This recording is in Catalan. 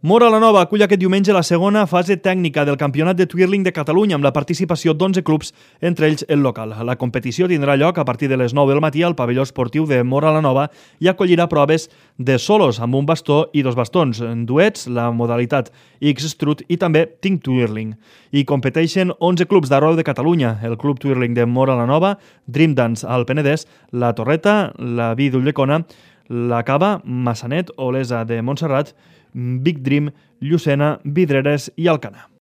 Móra la Nova acull aquest diumenge la segona fase tècnica del Campionat de Twirling de Catalunya amb la participació d'11 clubs, entre ells el local. La competició tindrà lloc a partir de les 9 del matí al pavelló esportiu de Móra la Nova i acollirà proves de solos amb un bastó i 2 bastons, duets, la modalitat X-Strut i també Think Twirling. Hi competeixen 11 clubs d'arreu de Catalunya, el Club Twirling de Móra la Nova, Dream Dance al Penedès, la Torreta, la Vi d'Ulldecona, la Cava, Massanet, Olesa de Montserrat, Big Dream, Llucena, Vidreres i Alcanar.